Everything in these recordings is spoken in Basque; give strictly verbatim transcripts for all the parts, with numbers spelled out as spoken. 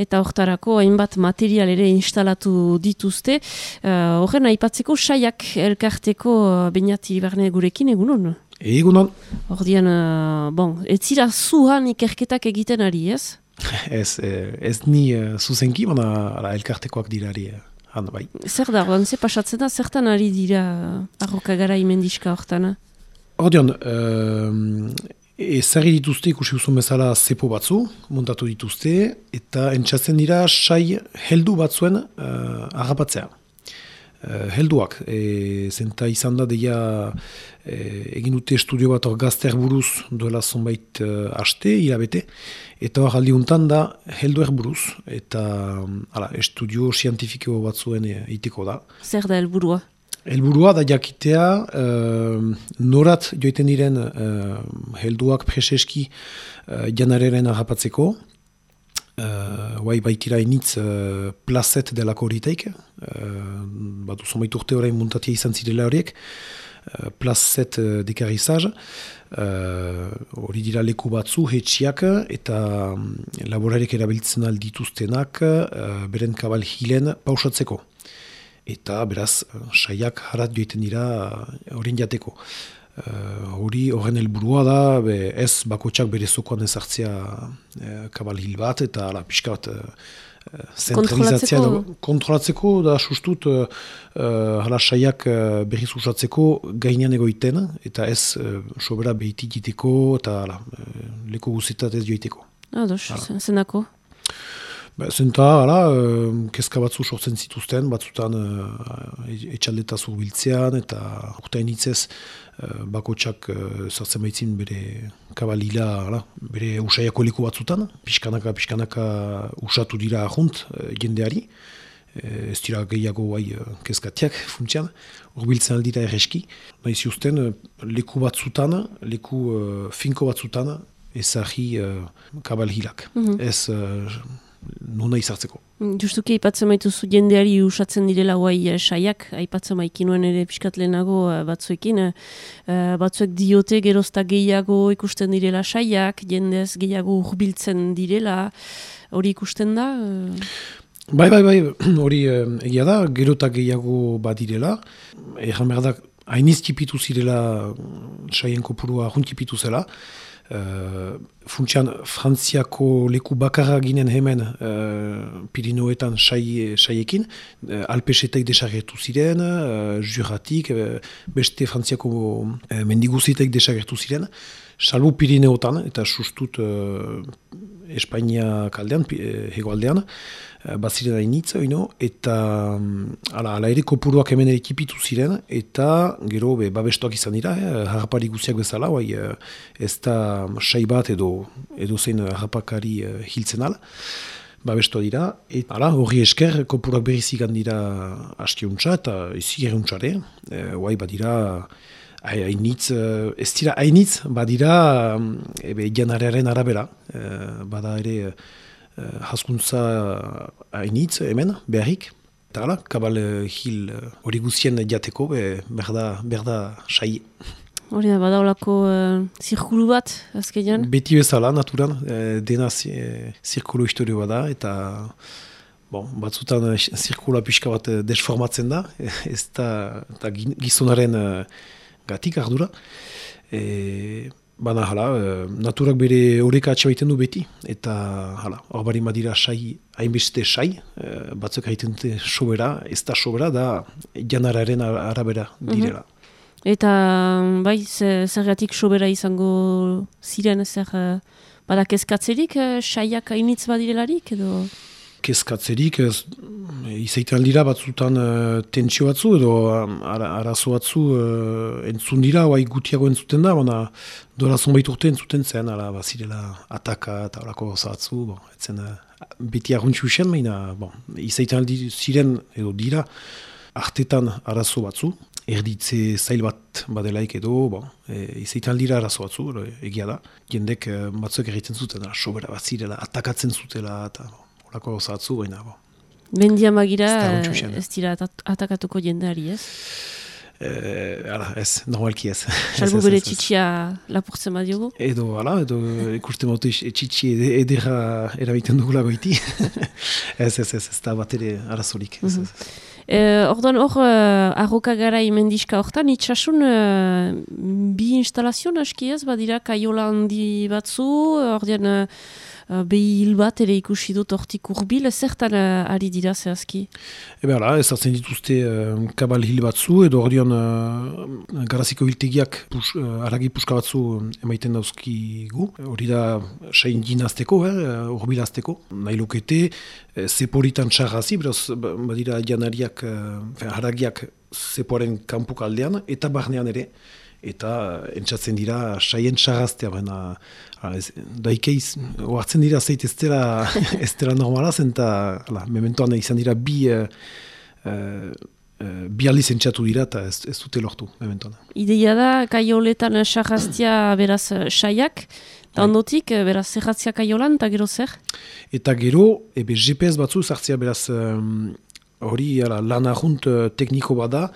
eta hortarako hainbat material ere instalatu dituzte. Horren, uh, aipatzeko saiak elkarteko uh, Beñat Iribarne gurekin, egunon? Egunon. Ordian, uh, bon, ez zira zuhan ikerketak egiten ari, ez? Ez, ez ni uh, zuzenki, baina elkartekoak dirari. Han, bai. Zer da, ordan, ze pasatzen da, zertan ari dira arrokagara imendiska hortana? Ordean, uh, ezarri dituzte ikusi guzun bezala zepo batzu, montatu dituzte, eta entzatzen dira sai heldu batzuen uh, harrapatzea. Uh, helduak, e, zenta izan da deia e, egin dute estudio bat hor gazter buruz duela zonbait uh, aste, hilabete, eta hor aldiuntan da helduer buruz, eta ala, estudio zientifiko batzuen eiteko da. Zer da helburua? Helburua da jakitea uh, norat joiten diren uh, helduak preseski uh, janareren harrapatzeko. Uh, Guai baitira initz uh, plazet delako horiteik, uh, bat uzomait urte horrein muntatia izan zirela horiek, uh, plazet uh, dekarizaz, hori uh, dira leku batzu, hetxiak, eta um, laborarek erabiltzen aldituztenak uh, beren kabal hilen pausatzeko. Eta beraz, uh, saiak harat joiten dira horien uh, jateko. Hori uh, horren helburua da, be, ez bakotxak bere zokoan ezartzea uh, kabal hil bat, eta ala, pixka bat uh, zentralizatzea kontrolatzeko. kontrolatzeko, da sustut uh, uh, hala saiak uh, berriz usatzeko gainean egoiten, eta ez uh, sobera behiti diteko, eta ala, uh, leko guzitat ez joiteko. Ados, zenako? Zenta, hala, uh, kezka batzu sortzen zituzten, batzutan uh, etxaldeta zurbiltzean, eta urtain hitzez uh, bakotxak uh, zartzen baitzin bere kabalila, hala, bere usaiako leku batzutan, pixkanaka, pixkanaka usatu dira ahunt uh, jendeari, uh, ez dira gehiago bai uh, kezkatiak funtsian, urbiltzen aldira erreski, nahi ziuzten uh, leku batzutan, leku uh, finko batzutan, ezagri uh, kabalhilak. Mm-hmm. Ez... Uh, nuna izartzeko. Justuki aipatzen maituzu jendeari usatzen direla guai saiak, aipatzen maikinuen ere piskat lehenago batzuekin, uh, batzuek diote gerozta gehiago ikusten direla saiak, jendez gehiago urbiltzen direla, hori ikusten da? Bai, bai, bai, hori egia da, gerota gehiago badirela, erran behar da, hainiz tipitu zirela saien kopurua juntipitu zela, Uh, funtsian Frantziako leku bakarra ginen hemen uh, Pirinoetan sai, saiekin, uh, Alpesetek desagertu ziren, uh, Juratik, uh, beste Frantziako uh, mendiguzitek desagertu ziren, salbu Pirineotan, eta sustut uh, Espainia kaldean, hegoaldean, uh, baziren hainitza, oino, eta um, ala, ala ere kopuruak hemen ekipitu ziren, eta gero be, babestoak izan dira, eh, harrapari guziak bezala, bai, uh, ez da sai bat edo, edo zein harrapakari uh, hiltzen ala, babestoa dira, eta ala, horri esker, kopuruak berrizik handira askiuntza, eta izi geruntxare, uh, bai, badira, hainitz, ez dira hainitz, badira ebe janararen arabera, e, bada ere e, haskuntza hainitz hemen, beharrik, eta ala, kabal hil hori guzien jateko, be, berda, berda sai. Hori da, badaulako uh, zirkulu bat, azkenean? Beti bezala, naturan, e, dena e, zirkulu historio bada, eta bon, batzutan zirkula pixka bat desformatzen da, ez da, eta gizonaren gatik ardura. E, Bana, hala, naturak bere horreka atxabaiten du beti, eta hala, hor bari madira sai, hainbeste sai, batzuk haiten dute sobera, ez da sobera, da janararen arabera direla. Mm-hmm. Eta, bai, zergatik sobera izango ziren, zer, bada kezkatzerik, saiak hainitz badirelarik, edo... Kezkatzerik, ez, izaiten aldira batzutan uh, tentsio batzu edo um, ara, arazo batzu uh, entzun dira, oai gutiago entzuten da, baina dola zonbait urte entzuten zen, ala, bazirela ataka eta horako gauza batzu, bon, etzen uh, beti arruntxu usen, baina bon, izaiten aldi ziren edo dira artetan arazo batzu, erditze zail bat badelaik edo, bon, e, izaiten aldira arazo batzu, egia da, jendek uh, batzuek egiten zuten, sobera bazirela, atakatzen zutela, eta bon, horako gauza batzu, baina bon. Bendia magira ez dira atakatuko jendeari, ez? E, ala, ez, normalki ez. Salbu bere txitsia lapurtzen badiogu? Edo, ala, edo ikusten motu txitsi edera erabiten dugula goiti. ez, ez, ez, ez da bat ere arazolik. Ez, ez, ez. Eh, Orduan hor, uh, arroka garai mendiska hortan, itxasun uh, bi instalazio aski ez, badira kaiola handi batzu, ordean uh, behi hil bat ere ikusi dut hortik urbil, zertan uh, ari dira zehazki? Ebe hala, ez hartzen dituzte uh, kabal hil batzu, edo ordean uh, garaziko hiltegiak pus, uh, aragi puska batzu emaiten dauzkigu. Hori da, sain dinazteko, eh, urbilazteko, nahi lukete, eh, zeporitan txarrazi, beraz, badira janariak, uh, haragiak zepoaren kanpuk aldean, eta barnean ere, eta entzatzen dira saien txarraztea, baina daikeiz, oartzen dira zeit ez dela, ez dela normala zen, eta mementoan izan dira bi, uh, uh, bi aldiz entzatu dira, eta ez, ez dute lortu, mementoan. Ideia da, kaioletan txarraztea beraz saiak, eta ondotik, beraz, zerratzia kaiolan, eta gero zer? Eta gero, ebe G P S batzu zartzea beraz, hori um, lan ahunt uh, tekniko bada,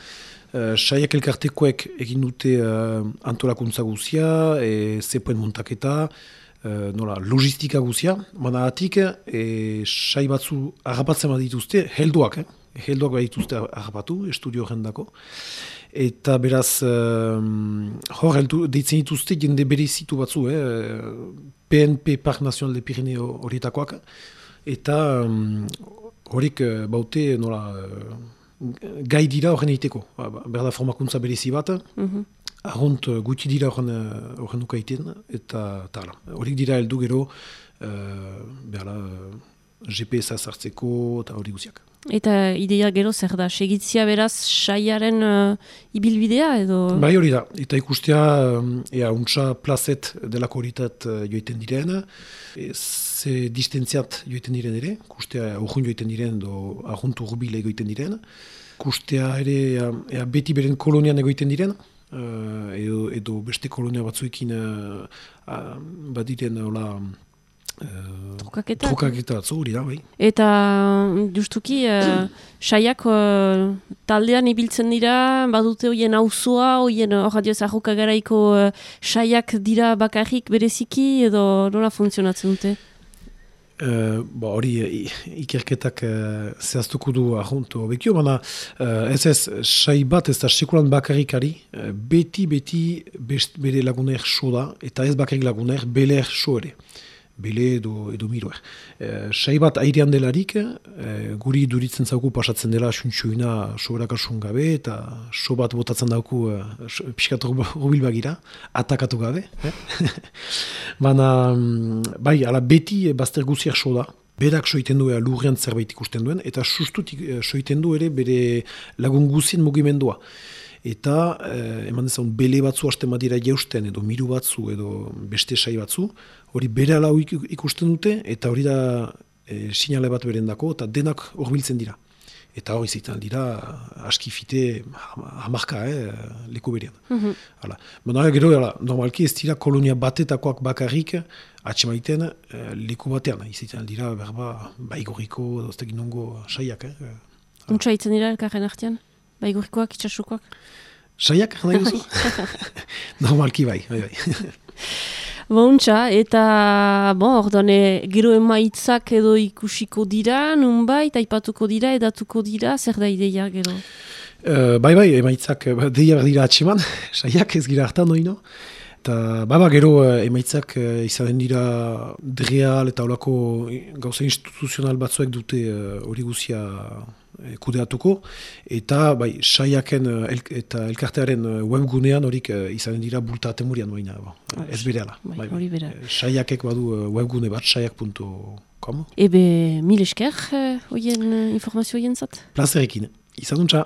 Uh, saiak elkartekoek egin dute uh, antolakuntza guzia, e, zepoen montaketa, uh, nola, logistika guzia, baina atik, e, sai batzu harrapatzen bat dituzte, helduak, eh? helduak bat dituzte harrapatu, estudio horrendako. Eta beraz, um, hor heldu, deitzen dituzte jende berezitu batzu, eh? P N P Park Nacional de Pirineo horietakoak, eta um, horik uh, baute, nola, uh, gai dira horren egiteko. Berda formakuntza berezi bat, mm-hmm. Arrunt guti dira horren ukaiten, eta tala. Horik dira heldu gero, uh, berda, G P S-a sartzeko eta hori guziak. Eta ideia gero zer da? Segitzia beraz saiaren uh, ibilbidea edo? Bai hori da. Eta ikustea, um, ea, untsa plazet delako horitat uh, joiten diren, e, ze distentziat joiten diren ere, ikustea urrun joiten diren, edo arrunt urbile egoiten diren, ikustea ere ea, ea beti beren kolonian egoiten diren, uh, edo, edo beste kolonia batzuekin uh, uh, badiren, hola, Uh, Trukaketa? Trukaketa batzu, hori da, bai. Eta justuki, uh, saiak uh, taldean ibiltzen dira, badute hoien auzoa, hoien hor adioz arroka garaiko uh, saiak dira bakarrik bereziki, edo nola funtzionatzen dute? Uh, ba, hori ikerketak uh, zehaztuko du ahont hobekio, baina uh, ez ez, sai bat ez da sekulan bakarrikari, uh, beti, beti best, bere laguner so da, eta ez bakarrik laguner, beler so ere. Bele edo, edo miroer. E, sai bat airean delarik, e, guri duritzen zauku pasatzen dela suntxoina soberakasun gabe, eta so bat botatzen dauku e, pixkatu rubil bagira, atakatu gabe. Eh? Baina, bai, ala beti bazter guziak so da. Berak soiten du lurrean zerbait ikusten duen, eta sustutik soiten du ere bere lagun guzien mugimendua. Eta eh, eman dezan bele batzu hasten badira jeusten, edo miru batzu, edo beste sai batzu, hori bere ala ikusten dute, eta hori da e, sinale bat berendako, eta denak horbiltzen dira. Eta hori zitan dira, askifite hamarka, eh, leku berean. Mm-hmm. Hala. Baina gero, hala, normalki ez dira kolonia batetakoak bakarrik, atxemaiten eh, leku batean. Izitan dira, berba, baigorriko, doztekin nongo saiak. Eh. Untsa itzen dira elkarren artean? Baigurikoak, itxasukoak? Saiak, nahi guzu? Normalki bai, bai, bai. Bontxa, eta, bon, ordone, gero emaitzak edo ikusiko dira, nunbait, aipatuko dira, edatuko dira, zer da ideia gero? Uh, bai, bai, emaitzak, deia berdira atseman, saiak ez gira hartan noino. Eta, baba, gero emaitzak uh, izanen dira dreal eta olako gauza instituzional batzuek dute hori uh, guzia uh, kudeatuko. Eta, bai, saiaken uh, el, eta elkartearen uh, webgunean horik uh, izanen dira bulta atemurian baina, ba, ez bereala. Bai, bai, hori bera. Saiakek badu uh, webgune bat, saiak puntu com. Ebe, mil esker, hoien uh, informazio hoien zat? Plazerekin, izanuntza.